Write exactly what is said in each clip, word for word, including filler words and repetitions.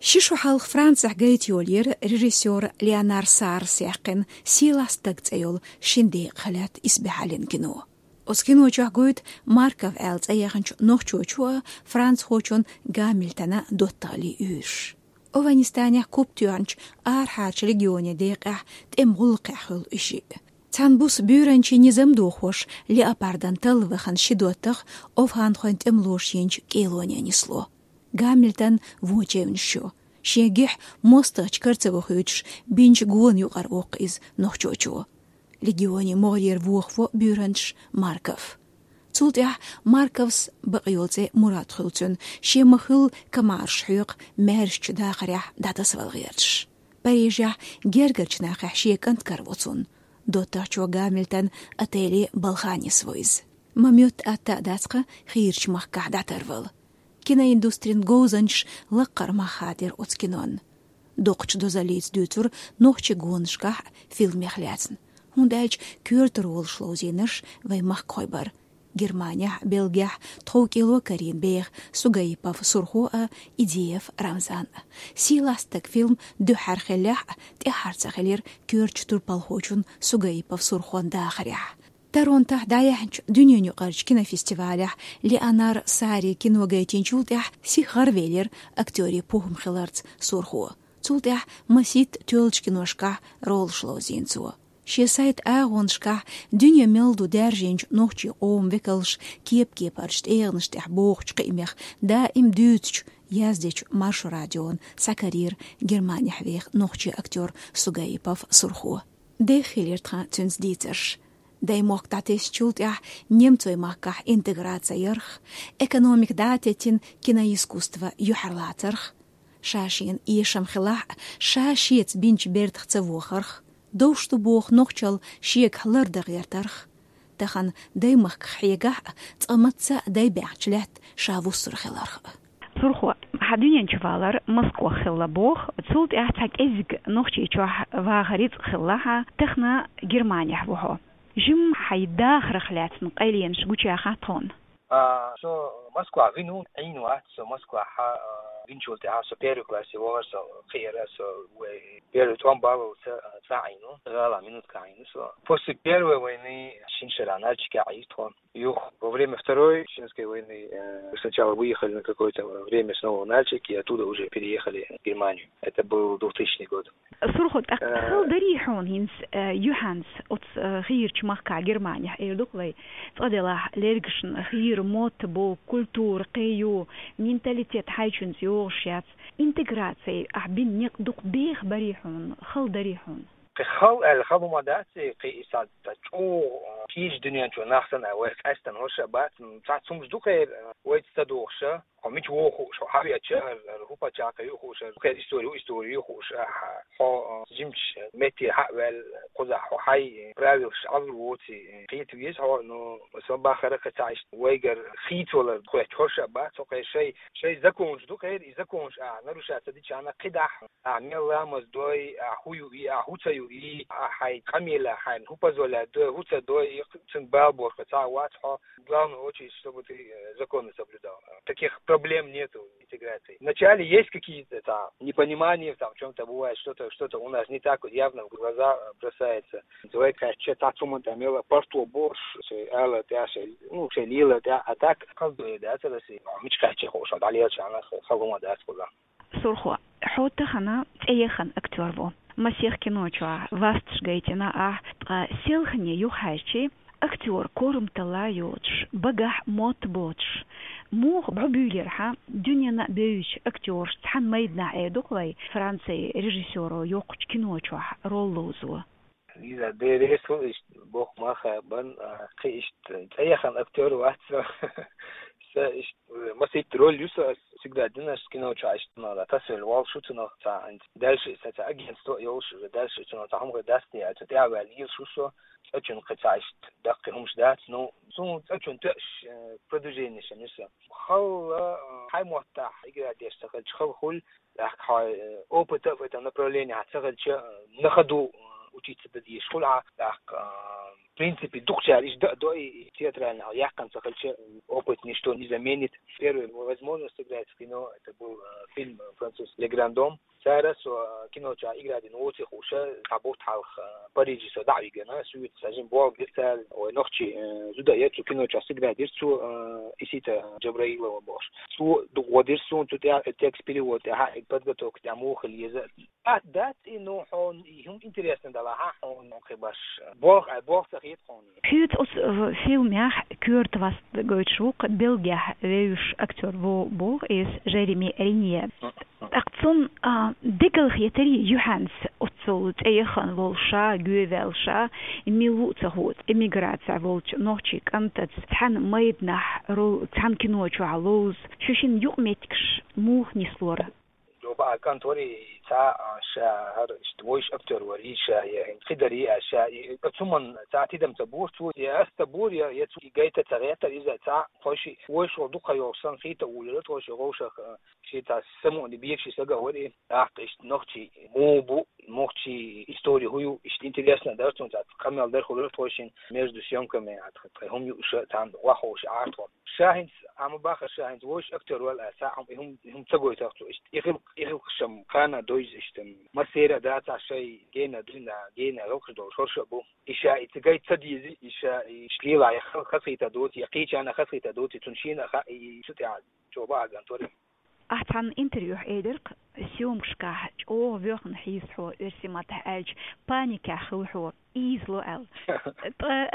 Ши шу хьалха Францехь гайта йолийра режиссёра Леонар Саррас яьккхина «Сийлахь стаг» цӀе йолу шина декъах лаьтта исбаьхьаллин кино. Оцу кино чохь гойту Марков аьлла цӀе яханчу нохчочо а, францхочун Гамильтона доттагӀаллин уьйраш. ОвхӀанистанехь куп тоьхначу арахьарчу легионийн декъехь тӀеман гӀуллакхехь хуьлу и шиъ. Цхьана буса буьйранчин низам дохош, леопардан талла вахана ши доттагӀа овхӀанхойн тӀемалоша йинчу кӀелоне нисло. Гамильтон вон чевнаш ю. Шен гихь мостагӀчу кара ца вохуьйтуш, бинчу гона юкъара воккху иза нохчочо. Легионийн могӀарера вохаво буьйранчаш Марков. Цул тӀаьхьа Марковс, бакъ йолу цӀе мурад хуьлу цуьнан, шен ма-хуьллу комараш хьоькху маьршачу дахарехь дӀатасавала гӀерташ. Парижехь гергарчу нахехь шен кӀант караво цунна. ДоттагӀчо Гамильтон отеле балхана нисво иза. Ма-моьтту атта а дац-кха хийрачу махкахь дӀатарвала. Киноиндустрин говзанчаш лаккхара мах хадийра оцу кинонна. Доккхачу дозаллица дуьйцура нохчийн гонашкахь а, фильмех лаьцна, хӀунда аьлча коьртара волуш ловзийнарш вайн махкахой бара. Германехь а, Бельгехь а тхов кӀело карийна беха Сугаипов Сурхо а, Идеев Рамзан а. «Сийлахь стаг» фильм дуьххьара хиллехь а, тӀаьххьара ца хилира коьртачу турпалхочун Сугаипов Сурхон дахарехь. Торонтохь дӀаяьхьначу дуьненаюкъарчу кинофестивалехь Леонар Саррин кино гайтинчул тӀаьхьа сиха гӀаравелира актёрийн похӀма хиларца Сурхо. Цул тӀаьхьа масийтта тоьллачу киношкахь ролаш ловзийна цо. Шен сайтан агӀонашкахь дуьне мел ду даьржинчу нохчийн къоман векалш кеп-кепарчу тӀегӀанаш тӀехь бохучу кхиамех даим дуьйцучу, яздечу Маршо радиона схьакарийра Германехь веха нохчийн актёр Сугаипов Сурхо. Деххилира тхан цуьнца дийцарш. Даймохк дӀатесначул тӀаьхьа немцойн махкахь интеграци ярх, экономика дӀа а теттина киноискусство юьхьарлацарх, ша шена эшам хилахь а, ша шеца бинчу бертах ца вохарх, довш ду боху нохчалла шегахь лардан гӀертарх. Тахана даймахках хьегахь а, цкъа мацца а дай баьхначу лаьтта ша вуссур хиларх а. Сурхо, хьан дуьнен чу валар Москох хилла боху, цул тӀаьхьа цхьа кӀеззиг Нохчийчохь вахар йицкъ хилла хьан, тахана Германехь ву хьо. Жимма хьайн дахарх лаьцна къайленаш гучаяхьа тхуна. А, со Москва вина ву, Ӏийна вац со Москвахь, а, винчул тӀаьхьа со первый классе вахар со кхиара со вай первый тӀом баллалца, а, цӀа Ӏийна ву, гӀала минутка Ӏийна со. После первой войны шина шарахь Нальчике Ӏийра тхо. Юха, во время Второй Чеченской войны, э, сначала выехали на какое-то время снова в Нальчик, и оттуда уже переехали в Германию. Это был двухтысячный год. Сурхо, тӀаккха Э, хала дарий хьуна хӀинца, э, юьхьанца оцу, э, хийрачу махкахь Германехь эр ду-кх вай, цкъа делахь лергашна хийра мотт бу, культура кхин ю, менталитет хьайчуьнца йогӀуш яц, интеграци ахь бина некъ дукха беха барий хьуна, хала дарий хьуна? Кхин хала аьлла хала хӀума дац, кхин и сан ца чӀогӀа, э, кхечу дуьнен чу нах санна вай къаьстина хӀорш а бац, м, цхьацца хӀумаш ду кхера, э, вайца ца догӀуш а. Хьо мича вогӀу хууш, хьо хьан веача, хӀара хӀара хӀун пачхьалкх ю хууш, хӀара хӀун кхера истори ю, истори ю хууш, а, хьо, а, жимчу меттера хьа а ваьлла, кхузахь хьо хьайн правилаш Ӏалур воций, кхета веза хьо, но со бахара кхин цхьа иштта вайгара хийцавалар хоьттуш хӀорш а бац, хьо кхин шай, шай законаш ду кхера, и законаш ахь нарушать ца дича, ахь кхидӀа ахь мел ламаз дой, ахь хӀун юй, ахь хӀун ца юй, ахь хьайн къамелехь хьайна хӀун позволять дой, хӀун ца дой, и цуьнан бала бохург цхьа а вац хьо. Главное, очень, чтобы ты, э, законы соблюдал. Таких проблем нету интеграции. Вначале есть какие-то там непонимания, там в чём-то бывает, что-то, что-то у нас не так вот явно в глаза, э, бросается. Давай кхаьчча, цхьа цхьа хӀума тӀе мела парто бохуш, шайн ала тӀе, шайн, ну, шайн лела тӀе, а так, хаза дуьйна дац ала шайн, мича кхаьчча хууш, дӀалелча, ана хала хӀума дац кхузахь. Сурхо, хьо тахана цӀеяхана актёр ву. Масех кино чохь васташ гайтина ахь, ткъа селхане юхахьаьжчи, актёр корамталла йоцуш, багахь мотт боцуш, муха бӀобуьйлира хьан дуьненна а бевзачу актёрашца цхьана майданахь, эр ду-кх вай, Францин режиссёро йоккхачу кино чохь роль ловзо? Иза деррес ву иштта боху мах а бан, а, кхин иштта цӀеяхана актёр вац со. Со иштта, э, масийтта роль ю со, ас всегда дина ас кино чохь иштта, но, да, тасвелла волуш ву цунах цхьа, дальше сан цхьа агентство а йолуш, уже дальше цунах цхьа хӀума хир дац те, а цу тӀе а ваьлла йилаш ву со, цӀа чуьнан кхин цхьа иштта даккхий хӀумаш дац, ну, суна цӀа чуьнан тоьаш, э, продвижениш ю со. Хала, э, хьайн маттахь игра деш ца хилча, хала хуьлу, тӀаккха хьо, э, опыта в этом направлении хьан ца хилча, э, на ходу, э, учиться дан дезаш хуьлу хьан, тӀаккха, э, В принципе, дукхачара иштта да, до и театральный хьал яьккхина ца хилча, опыт ничто не заменит. Первая возможность сыграть в кино, это был э, фильм француз «Le Grand Dame». Цара со кино чу игра дина воци хуша, цхьа бутт хьалха Париже со дӀа а вигна, суьйца сажин болх бира цара, ой, нохчи э, зуда яр цу кино чу сыгра дира цу э, Исита Джабраилова бохуш. Цо дукха гӀо дира суна, цу тӀе текст перевод тӀехьа, подготовка тӀехьа муха еза. Ат дац и, ну, хьуна и хӀума интересно дала, хьа хьуна хи баш. Болх, ай, болх ца хет хьуна. Хьоьца оцу э, фильмехь коьрта васт гойтуш ву-кх Бельгехь вевзаш актёр ву боху иза, Жереми Ренье. ТӀаккха цунна а, дегал хетарий юьхьанца оццул цӀе яхана волуш ша, гоьваьлла ша, мила ву а ца хууш, эмиграцехь волчу нохчийн кӀантаца цхьана майданахь ру-, цхьана кино чохь ловза, шу шина юкъаметтигаш муха нислора? Жоба а кӀант вари, цхьа а ша хӀара иштта вуьйш актёр вари ша, я хӀинца хи дари а ша, и, и цу ман цхьа тидам ца бора цо, я ас ца бора, я, я цу и гайта ца гӀеттара иза цхьа, тхойши вуьйш ву дукха йолуш сан хи та улира, тхойши гӀовшах, а, ши цхьа самуъни бекши сага вари, тӀаккха иштта нохчи муха бу, нохчи истори хӀу ю, иштта интересно дара цунна, цхьа къамел дар хуьлура тхойшин между съёмками, а, тхай хӀума юуша, цхьана вахоша Ӏартхо. Ша хӀинца, амма баха ша хӀинца вуьйш актёр вала а, цхьа хӀума, и хӀума, и хӀума ца гойтах цо, иштта и хилкъ-, и хилкъ шам хана дойза иштта. Массера а дац а шай гена дуьйна, гена гӀуллакхаш долуш хӀорш а бу. И ша и ца гайта ца дези, и ша и шлила я ха-, хасхийта доци, я кхечана хасхийта доци, цунна шена а хаьа, и, и цу тӀехь жоба а ган тори. Ахь цхьана интервьюхь элира-кх, съёмкашкахь чӀогӀа воьхна хьийза хьо, оьрсийн маттахь аьлча, паникехь хилла хьо, ийзало аьлла. Ткъа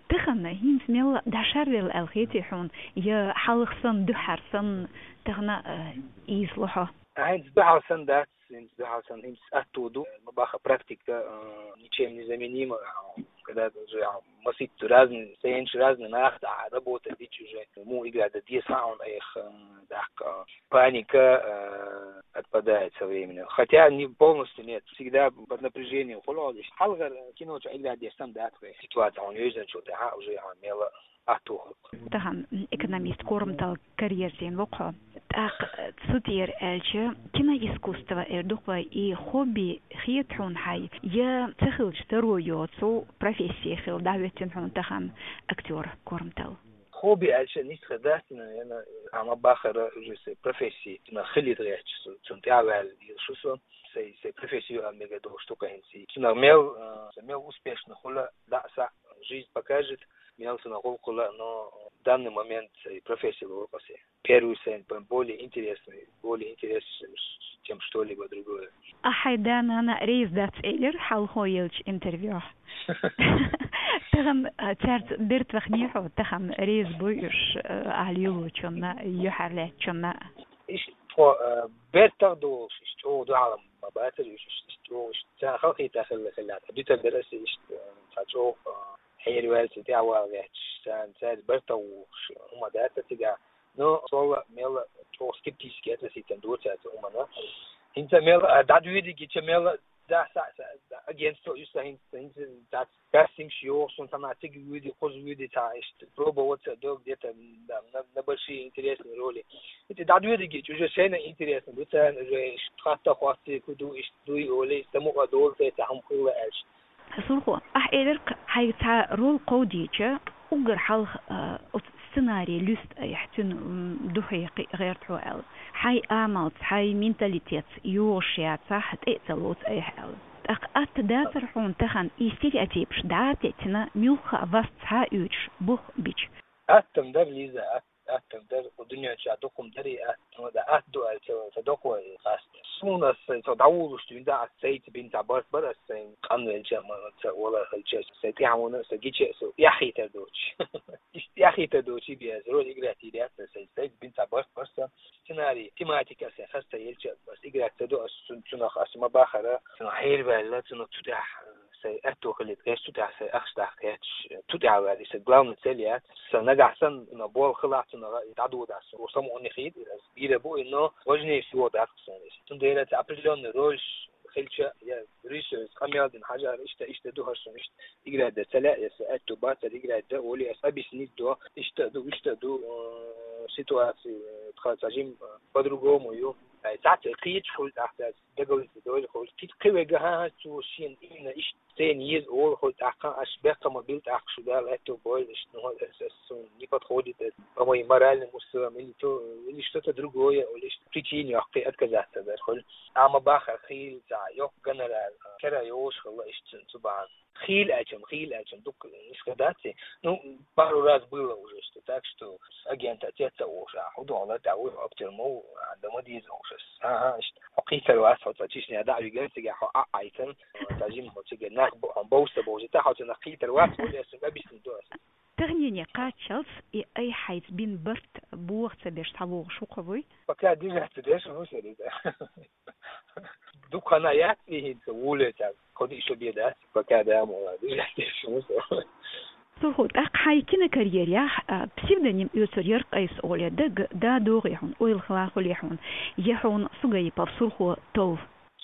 тахана хӀинца мелла дӀашарвелла аьлла хетий хьуна, я хьалха санна, дуьххьара санна тахана а, ийзало хьо? А, хӀинца дуьххьара санна дац, хӀинца дуьххьара санна, хӀинца атто ду, ма баха практика, а, ничем не заменима, а, когда ты уже, а, масийтта разный, сценаш разный нах, да, работа дичи уже, му игра да дес хаун, эх, э, дак, э, паника, э, отпадает со временем. Хотя не полностью нет, всегда под напряжением. Хуло, хьалгар кино чу игра дес там, да, твоя ситуация, он юзан чу, да, уже, а, мела, а, туху. Тахана экономист Кормтал карьерзийна вокхо. ТӀаккха цу тӀера аьлча, киноискусство эр ду-кх вай и хобби хета хьуна хьай, я ца хилча таро йоцу профессия хила дӀахӀоьттина хьуна тахана актёр Кормтал? Хобби аьлча нисха дац, наверное, амма бахара уже се профессия, цуьнан хилийта гӀерташ со, цунна тӀаьхьаваьлла шу со, сай, сай профессия ю а мега долуш ду кхаьнций. Цунах мел, а, мел успешно хула, да, са, жизнь покажет, мел цунах гӀуллакх хула, но в данный момент сай профессия лору кхасе. Первый сайна б-, более интересный, более интересный, чем что-либо другое. Ахьа хьайн да-нана реза дац элира хьалхо елча интервьюхь. Тахана, а, цаьрца бертахне хьо, тахана реза буй уьш, а, ахьа лелочунна, юьхьарлаьцначунна? Иштта тхо, а, бертах долуш, иштта чӀогӀа дуьхьал ма бацара уьш, иштта, иштта чӀогӀа, иштта царна халахетар хилла хилла. Дуьтар дара аса иштта, а, цхьа чӀогӀа, а, хьерваьлла, цу тӀаьхьа вала гӀерташ, царна, цаьрца бертах вухуш, хӀума дац цигахь. Но солла мелла чӀогӀа скептически относиться ду цаьрца хӀуманна. ХӀинца мелла, а, дӀадоьдигича мелла, да, са, са, да, агентство ю сан хӀинца, хӀинца дац, кастингаш йоху, шун сама цига вуьди, кхуза вуьди, цхьа иштта пробоваться до где-то, да, на, на большие интересные роли. ХӀинца дӀадоьдигича, уже шайна интересно ду царна, уже иштта хатта хӀотте, ку ду, иштта дуй, оле, самукъа долу, цхьа хӀума хилла аьлча. Сурхо, ахь элира-кх, хьайга цхьа роль кховдийча, уггар хьалха, а, оцу сценарий луьста айхьа, цуьнан, м, духье кхин гӀерта хьо аьлла. Хьайн амалца, хьайн менталитетца йогӀуш яцахь, тӀе а ца лоцу айхьа аьлла. ТӀаккха атта дацара хьуна тахана и стереотипаш дӀа а теттина, муьлхха а вас цхьа а оьцуш, бух бича? Аттам дара, Лиза, атта. Атта дара, кху дуьнен чохь дукха хӀума дарий, атта, ну, да, атта ду аьлла, ца, ца доккхо и хаста. Суна аса сайн цо дӀавуллуш дуьйна, да, аса сайца бина цхьа барт бара, аса сайн къанвелча, ма, ца, вала хилча, сайн тӀаьхьа вуна, аса гича, аса эхь хийтар доцуш. Иштта эхь хийтар доцуш, би аса роль играть йийр яц, сайн сайца бина цхьа барт бара сан. Сценарий, тематика аса хаста елча, аса играть ца до, аса цун-, цунах аса ма бахара, цунах хьерваьлла, цунах цу тӀехь, сайн аьтто хилийта гӀерташ, цу тӀехь сайн ахча дахка гӀерташ, цу тӀехь ваьлла, и сайн главный цель яц. Сан нагахь санна, но болх хилахь, цунах дӀадодахь, сан самукъане хета, аса бийр бу, но важнее всего дац суна иза. Цундела цу определённый роль хилча, я режиссёр къамел дина хьажар, иштта, иштта ду хӀара суна, иштта играть дан ца лаьа, я сан аьтто бацара играть дан, оле аса объяснить до, иштта ду, иштта ду, э, ситуация, э, тха цхьа жим, э, по-другому ю. Ай, цхьацца кхеташ хуьлу тӀаккха, дагалица дойла хуьлу. Кхин кхин вайга, хӀан-хӀа, цо шена именно иштта сцена еза олу хуьлу тӀаккха, аш бехкам била тӀаккха шу дала аьтту бойла иштта, ну, ас, ас, суна не подходит это, по моим моральным устоям, или то, или что-то другое, или иштта причина йоккхий отказаться дар хуьлу. Амма бахар хийла цхьа йоккха гонорар, кара йолуш хилла иштта цу бахьана. Хийла аьлчам, хийла аьлчам, дукха нисха дац и. Ну, пару раз было уже, что так, что агент отец а уж, а хӀу догӀла тӀа вуй оптир ма ву, а, да ма деза уж ас. Ага, иштта. Хьо кхийтар вац, хьо ца Чечня дӀа а виган, цига хьо а Ӏайтан, ца жим хьо цига нах бо-, хьо бовса бовзита, хьо ца нах кхийтар вац, хьо лесса объяснить до ас. Таханене кхаччалц и айхьайца бин барт боху ца беш схьавогӀуш ву кхо вуй? Пока движаться деш ву сари. Дукха хӀана яц и хӀинца вуле цхьа, кхо-диъ шо бен дац, пока да ма вала, движаться деш ву со. Сурхо, тӀаккха хьайн кинокарьерехь, а, псевдоним оьцур яра Къайса оле, дага да догӀий хьуна, ойла хила хуьлий хьуна, я хьуна Сугаипов Сурхо тов?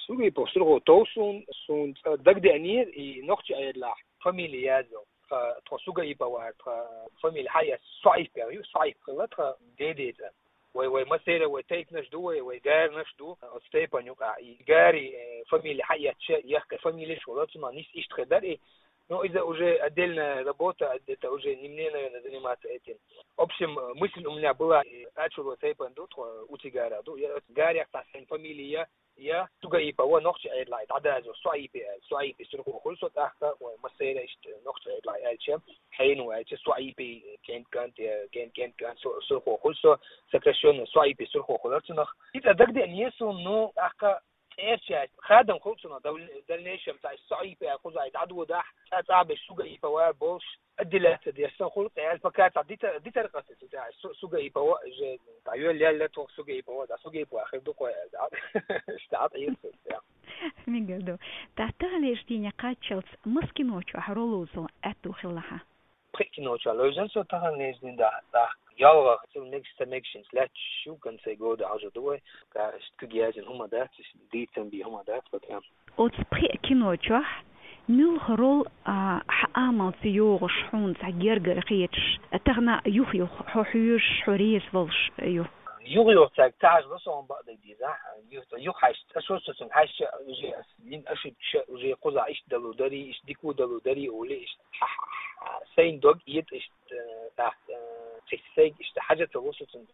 Сугаипов Сурхо тов суна, суна цкъа дагадеанера и нохчи Ӏедалехь фамилия язйо. Тха, тхо Сугаипов вара, тха фамилия хьаэцна Суаипов ю, Суаипов хилла тха деде цӀа. Вай, вай массеран, вай тайпанаш ду, вай, вай гаранаш ду, оцу тайпана юкъахь и гарий, э, фамилия хьаэцча, яхкхи фамилияш хуьлу, цунах нис иштта хир дара и. Ну, иза уже отдельная работа, это уже не мне, наверное, заниматься этим. В общем, э, мысль у меня была, э, ачуро тайпана ду, тхо Уцигара ду, я оцу гарех цхьа сайн фамилия я Сугаипов, нохчи Ӏедалехь дӀадазо Суаипи аьлла, Суаипи Сурхо хуьлу со тӀаккха, вай массеран иштта нохчи Ӏедалехь аьлча, хьенан ву аьлча, Суаипи, кент-кент, я кент-кент, Су-, Сурхо хуьлу со, сокращённо Суаипи Сурхо хуьлура цунах. Иза дагадеанера суна, ну, тӀаккха цӀерачаьрца хадам хуьлу цунах, дал-, дальнейшем цхьа Суаипи аьлла кхузахь дӀадодахь, цӀа цӀа беш Сугаипов вара болуш, отделяться деш сан хуьлу, кхел пока цхьа дита-, дитар къа ца цу тӀехь, Су-, Сугаипов, же, дӀайоьлла, яьлла тхо Сугаипов, дӀа Сугаипов хир ду кхо, дӀа, иштта дӀа тӀаэца, я. Мегар ду. Тахана таханлерчу дийне кхаччалц маса кино чохь роль ловзо аьтту хилла хьан? Пхи кино чохь ловзан со таханлерчу дийнахь, тӀаккха ялхалгӀа, цул мегаш ца мегашинца лаьтташ ю, конце года хьожа ду вай, ка, иштта куьг язйина хӀума дац, иштта дийцам бен хӀума дац, пока. Оцу пхи кино чохь муьлха роль, а, хьан амалца йогӀуш, хьуна цхьа гергара хеташ, а, тахана юх-юха хьо хьоьжуш, хьо реза волуш ю? Юх-юха цаьрга ца хьажа со хьуна бакъдерг дийцахь, юх-, юха хьаьжча, аса со цунна хьаьжча, уже ас йина ошибкаш уже кхузахь иштта далур дарий, иштта дика далур дарий олий, иштта хьа-, хьа-, хьа-, сайна дог эца, иштта, э, тӀаккха, э, цхьа сайга иштта хьажа ца ло со цунна.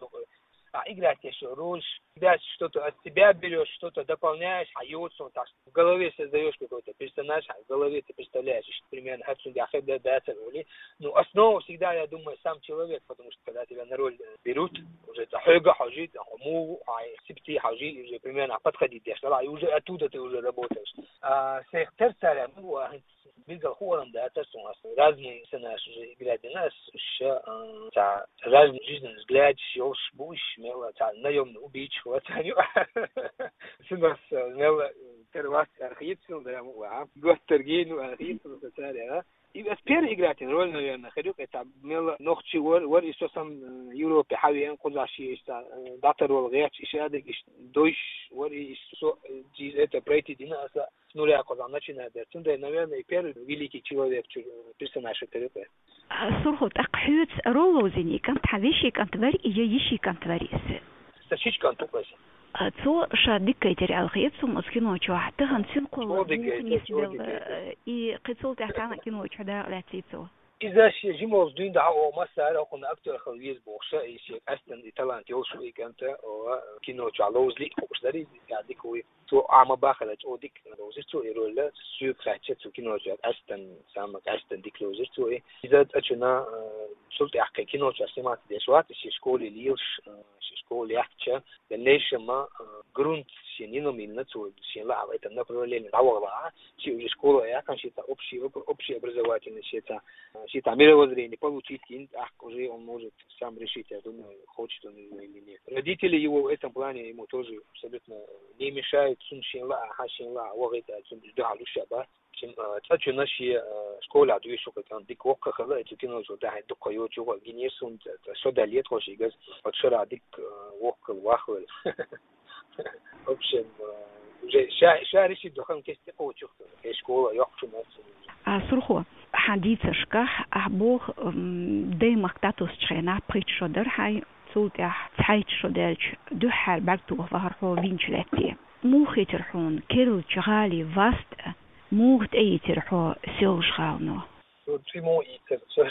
А играть еш роль, тебя что-то от тебя берёшь, что-то дополняешь, хьан йоцу, так в голове создаёшь какой-то персонаж, хьан в голове ты представляешь, что примерно хьан цуьнга хир дара дацара олий. Ну, основа всегда, я думаю, сам человек, потому что когда тебя на роль, э, берут, уже цхьа хьоьга хьожий, цхьа хьо муха ву, хьан сипте хьожий, уже примерно подходить деш дара, и уже оттуда ты уже работаешь. А, сех терцаря, ну, а, билггал хуур-м дацара суна, ас разные персонажаш уже играть дина ас, ша, а, цхьа разные жизненные взглядаш йолуш бу уьш, мел цхьа наёмный убийца хилла цхьаъ ю. Цунах ас, а, мел, а, тера вац аьлла хета суна, да, ма ваха. Готтаргий, ну, аьлла хета суна, аса цара, а. И ас первый играть йина роль, наверное, хир ю, кхета мел нохчи вар, вар и со сан, а, Европе хьан веана кхузахь ши иштта, а, дӀатар вала гӀерташ, и шадерг иштта дойш вар, и иштта со, а, через это пройти дина аса. С нуля кхузахь начинать дара. Цундела, наверное, и первый великий человек чу-, персонаж хир ю кхе. А, Сурхо, тӀаккха хьоьца роль ловзийна и кӀант хьан вешин кӀант варий, я йишин кӀант варий иза? Сан шича кӀант ву кхе. А, цо ша дика гайтира аьлла хета суна оцу кино чохь. Тахана цуьнан кхолла дика гайтира, муха нисбелла, цо дика гайтира. Э, и кхин цул тӀаьхьа цхьана а кино чохь дакъа лаьцний цо? Иза шен жима волчу дуьйна дӀа а массара а хӀокхунна актёр хила веза бохуша, и шен къаьстина и талант йолуш ву и кӀант, о, кино чохь ловзале а хууш дарий, я дика вуй. Цо а ма бахара, чӀогӀа дика ловзира цо и роль, соьга хаьттича, цу кино чохь къаьстина, самый къаьстина дика ловзира цо и. Иза цӀа чуьнан, э, цул тӀаьхьа кхин кино чохь сниматься деш вац, шен школе лелаш, э, шен школа яьккхича, дальнейшем, э, грунт шен йина ма йиллина цо, шен лаахь в этом направлении дӀавахалахь, шен уже школа а яьккхина, шен цхьа общий, общий образовательный, шен цхьа, э, шен цхьа мировоззрение получить йина, тӀаккха уже он может сам решить, я думаю, хочет он его или нет. Родители его в этом плане ему тоже абсолютно не мешают, цунна шен лаахь, шен лаахь вахийта, цунна дуьхьал уьш а бац. Цун, а, цӀа чуьнан шен, а, школехь доьшуш ву кхе кӀант дика воккха хилла, и цу кино чу дахьийна дуккха йоцуш ву гинера суна, ц-, ц-, со далле тхо шиъ газ, оцу шарахь дика, а, воккха хилла, ваха велла. В общем, а, уже ша, ша решить до хан кесте кхочух, и школа йоккхачу моцу. А, Сурхо, хьан дийцаршкахь, ахь боху, м, даймахка дӀатоссучу хенахь пхийтта шо дара хьайн, Цул тӀаьхьа цхьайтта шо даьлча, дуьххьара бӀаргтоха вахар хьо винчу лаьтте. Муха хийтира хьуна керла гӀалин васт а, муха тӀеийцира хьо Соьлжа гӀалано? Ну, цӀи муха ийцира,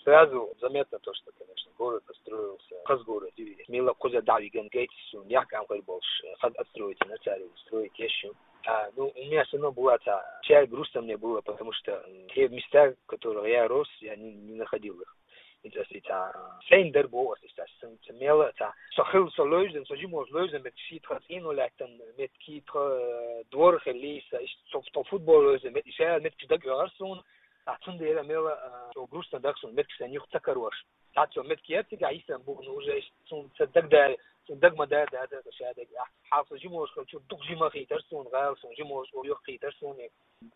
сразу заметно то, что, конечно, город отстроился. Хаза город ю, мелла кхуза дӀавиган гайта суна, яхкам хир болуш, хаза отстроить йина цара, строить еш ю. А, ну, у меня всё равно была та часть грустная мне была, потому что, м, те места, в которых я рос, я не, не находил их. ХӀинца аса ца, сайна дар боху аса иштта, сан ца мела ца. Со хилла, со левзина, со жимош левзина меттиг, шийтта цӀено лаьттина меттиг, кхин тха, э, двор хилла, сан иштта со, со футбол левзина меттиг, ша меттиг дага оьгӀар суна. А цундела мела, э, со грустно дагахь суна меттиг сан юха ца карош. Ца со меттиг яц цигахь йисан бу, ну, уже иштта суна ца дагадара, суна дага ма дара, да, да, ша дага. Хьалха со жимош хилча, дукха жима хийтар суна, гӀала суна, жимош юха хийтар суна.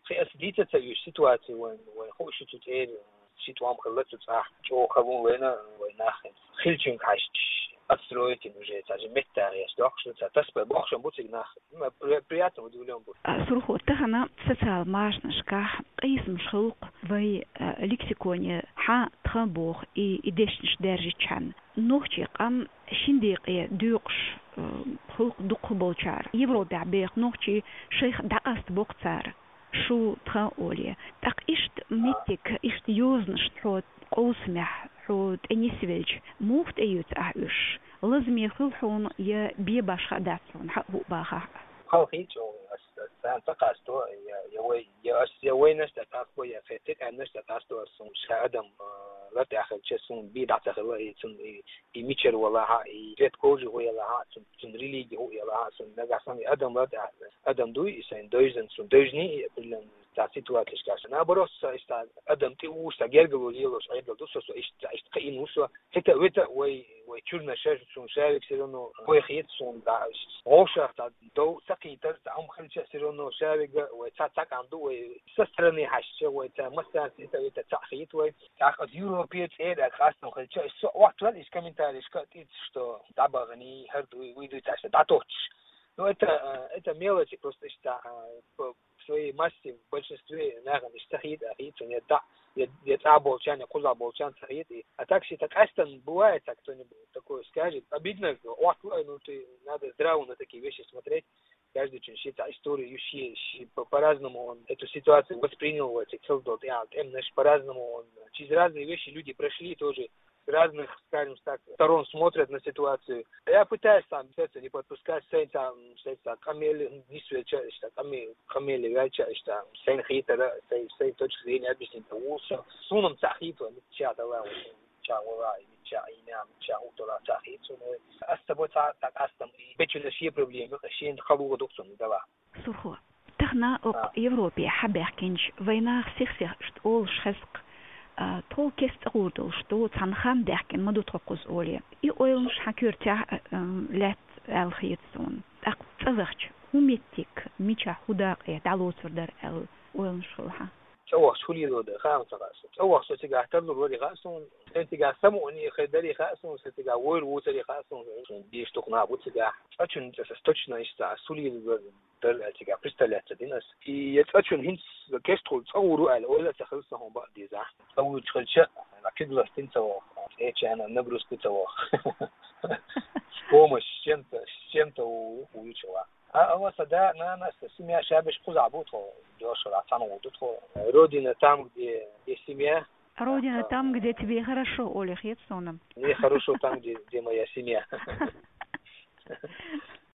Кхин аса дийца ца вуьйш ситуацию вайн, вайн хууш ю цу цӀера, ши тӀом хилла цу цӀахь, чӀогӀа хала ву вайна, вайн нах. Хиллачуьнга хьаьжча, отстроить йина уже, цхьа же меттахь еш доккхуш ду, цхьа тасбай бохуш бу цига нах. Ма при-, приятно удивлён бу. А, Сурхо, тахана социал машанашкахь къийсамаш хилла-кх вай, а, лексиконе хьан тхан боху и, и дешнаш даьржичхьана. Нохчийн къам шина декъе доькъуш, а, хилла-кх дукхахболчара. Европехь беха нохчий шайх дӀакъастабо-кх цара. Шу, тхан олий. ТӀаккха иштта меттиг, иштта йозанаш тхо къовсамехь, хьо тӀе нисвелча, муха тӀеоьцу ахь уьш? Лазаме хилла хьуна я бен башха а дац хьуна, хьан а хӀуъа бахахь а? Хала хийца чӀогӀа, ас, ас царна ца къасто, я, я вай, я ас, я вайнаш тӀе къасто, я кхин къаьмнаш тӀе къасто, ас суна ша адам, а, лар тӀехь хилча, суна бен дӀа ца хилла, и цунна, и, и мичара валахь а, и цвет кожи хӀу ялахь а, цун, цун религи хӀу ялахь а, суна нагахь санна адам лар тӀехь адам дуй, и сайн девзан, суна девзаний, и определённо цхьа ситуацешкахь. Наоборот, со иштта адам тӀе вуш, сан гергало лелош Ӏедал ду со, со иштта, иштта кхиъна ву со. ХӀета а вета вай, вай чуьрнаш, суна шавиг всё равно вай хета суна, да, вовшах цхьа дов ца кхийтар, цхьа хӀума хилча всё равно шавига вай цхьа, цхьа кӀант ду, вай со стороны хьаьжча, вай цхьа массарца хӀета а вета цхьаъ хета вай. ТӀаккха аса Европе цӀера къастам хилча, со оттаваьлла иштта комментарийшка тӀе, что дӀабаханий, хӀара дуй, вуй дуй, цхьа иштта дӀатохчуш. Ну, это, э, это мелочи, просто иштта, э, по своей массе в большинстве нахана иштта хета, хета, я да, я, я цӀа болчарна, я кхуза болчарна ца хета. И, а так, если это кастом бывает, так кто-нибудь такое скажет, обидно, вот, ну, ты, надо здраво на такие вещи смотреть. Каждый чун ши цхьа историю, ши, ши по-, по-разному он эту ситуацию воспринял, вот, и цел дол, я, эм, знаешь, по-разному он, через разные вещи люди прошли тоже, с разных, скажем так, сторон смотрят на ситуацию. Я пытаюсь там, естественно, не подпускать, сайн там, сайн там, къамел нисвелча, иштта, къаме-, къамел ваьлча, иштта, сайн хетара, сайн, сайн точка зрения объяснить ву со. Суна-м ца хета, мичча дала, мичча вала, мичча ийна, мичча утала ца хета суна. Ас ца бо ца, так ас там, и бечуьнан шен проблема, шен халугӀа ду цунна дала. Сурхо. Тахана окху Европе хьабаьхкинчу вайнах сих-сих иштта олуш хеза-кх, а, тхо кеста цӀа гӀур долуш ду, цхьана хам даьхкина ма ду тхо кхуза олий. И ойланаш хьан коьртехь а, а, лаьтта аьлла хета суна. ТӀаккха цӀа вахча, хӀун меттиг, мичахь, хӀун дакъе дӀалоцур дара аьлла ойланаш хилла хьан? ЦӀа вахча хӀун лелор дара, хаам ца хаьа суна. ЦӀа вахча со цигахь тарлур варий хаьа суна. Сайн цигахь самукъане хир дарий хаьа суна, сайн цигахь войр вуцарий хаьа суна. Суна деш тухна бу цигахь. ЦӀа чун цӀа аса точно иштта ас хӀун лелор дара аьлла цигахь представлять ца дина ас. И я цӀа чун хӀинца кеста хуьлу цӀа гӀур ву аьлла ойла а ца хилла сан хӀун бакъ дезахь. ЦӀа вуьйцуш хилча, куьг ластина ца ваху, цӀечарна нагрузка ца ваху. С помощью, с чем-то, с чем-то ву-, вуьйцуш ваху. А, ала сан да, нана, сан семья шабеш кхузахь бу тхо, дешара цхьаьна гӀур ду тхо. Родина там, где, где семья. Родина там, где тебе хорошо, олий хета суна. Мне хорошо там, где, где моя семья.